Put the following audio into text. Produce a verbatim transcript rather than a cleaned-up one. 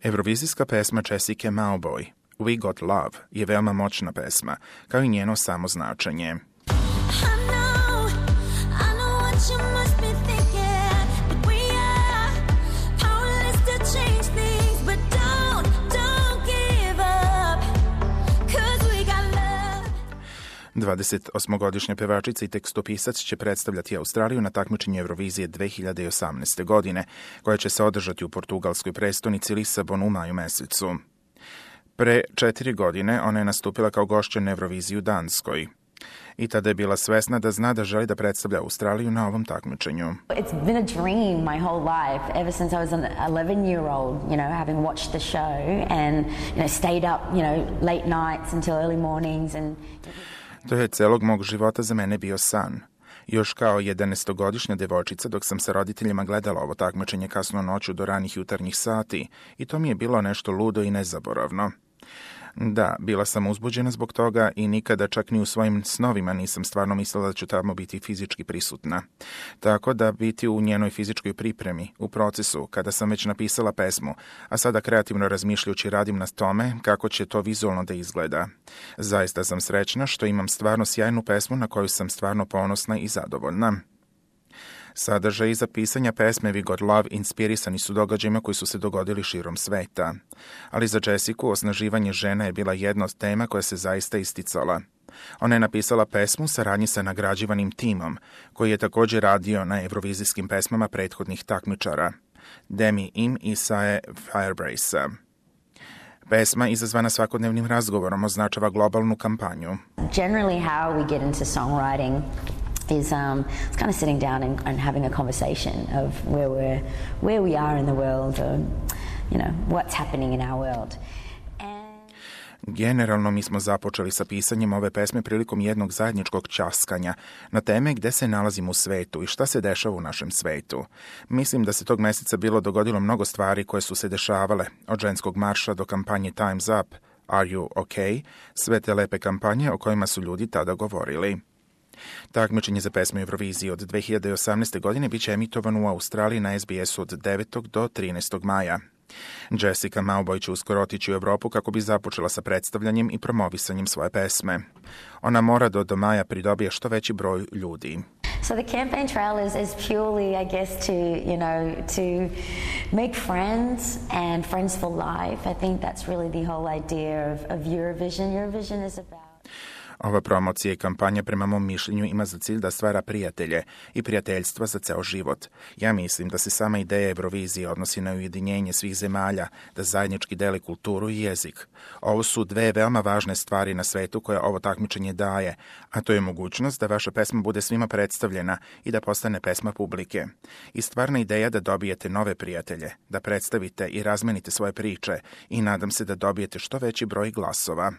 Eurovizijska pesma Jessica Mauboy, We Got Love, je veoma moćna pesma, kao i njeno samo značenje. dvadesetosmogodišnja pevačica i tekstopisac će predstavljati Australiju na takmičenju Eurovizije dve hiljade osamnaeste. godine, koja će se održati u portugalskoj prestonici Lisabonu u maju mesecu. Pre četiri godine ona je nastupila kao gošća na Euroviziji u Danskoj. I tada je bila svesna da zna da želi da predstavlja Australiju na ovom takmičenju. It's been a dream my whole life, ever since I was an eleven-year-old, you know, having watched the show and, you know, stayed up, you know, late nights until early mornings and... To je celog mog života za mene bio san. Još kao jedanaestogodišnja devojčica dok sam sa roditeljima gledala ovo takmičenje kasno noću do ranih jutarnjih sati i to mi je bilo nešto ludo i nezaboravno. Da, bila sam uzbuđena zbog toga i nikada čak ni u svojim snovima nisam stvarno mislila da ću tamo biti fizički prisutna. Tako da biti u njenoj fizičkoj pripremi, u procesu, kada sam već napisala pesmu, a sada kreativno razmišljajući radim na tome kako će to vizualno da izgleda. Zaista sam srećna što imam stvarno sjajnu pesmu na koju sam stvarno ponosna i zadovoljna. Sadržaj iza pisanja pesme We Got Love inspirisani su događajima koji su se dogodili širom sveta. Ali za Jessicu osnaživanje žena je bila jedna od tema koja se zaista isticala. Ona je napisala pesmu u saradnji sa nagrađivanim timom, koji je također radio na eurovizijskim pesmama prethodnih takmičara, Demi Im i Sae Firebrace. Pesma, izazvana svakodnevnim razgovorom, označava globalnu kampanju. Generally how we get into songwriting is um, it's kind of sitting down and, and having a conversation of where we're, where we are in the world, or, you know, what's happening in our world. And... Generalno mi smo započeli sa pisanjem ove pesme prilikom jednog zajedničkog ćaskanja na teme gde se nalazimo u svetu i šta se dešava u našem svetu. Mislim da se tog meseca bilo dogodilo mnogo stvari koje su se dešavale, od ženskog marša do kampanje Time's Up, Are You OK, sve te lepe kampanje o kojima su ljudi tada govorili. Takmičenje za pesmu Eurovizije od dve hiljade osamnaeste. godine biće emitovano u Australiji na S B S-u od devetog do trinaestog maja. Jessica Mauboy će uskoro otići u Evropu kako bi započela sa predstavljanjem i promovisanjem svoje pesme. Ona mora do, do maja pridobije što veći broj ljudi. So the campaign trail is, is purely, I guess, to, you know, to make friends and friends for life. I think that's really the whole idea of, of Eurovision. Eurovision is about... Ova promocija i kampanja prema mom mišljenju ima za cilj da stvara prijatelje i prijateljstva za ceo život. Ja mislim da se sama ideja Eurovizije odnosi na ujedinjenje svih zemalja, da zajednički dele kulturu i jezik. Ovo su dve veoma važne stvari na svetu koje ovo takmičenje daje, a to je mogućnost da vaša pesma bude svima predstavljena i da postane pesma publike. I stvarna ideja da dobijete nove prijatelje, da predstavite i razmenite svoje priče i nadam se da dobijete što veći broj glasova.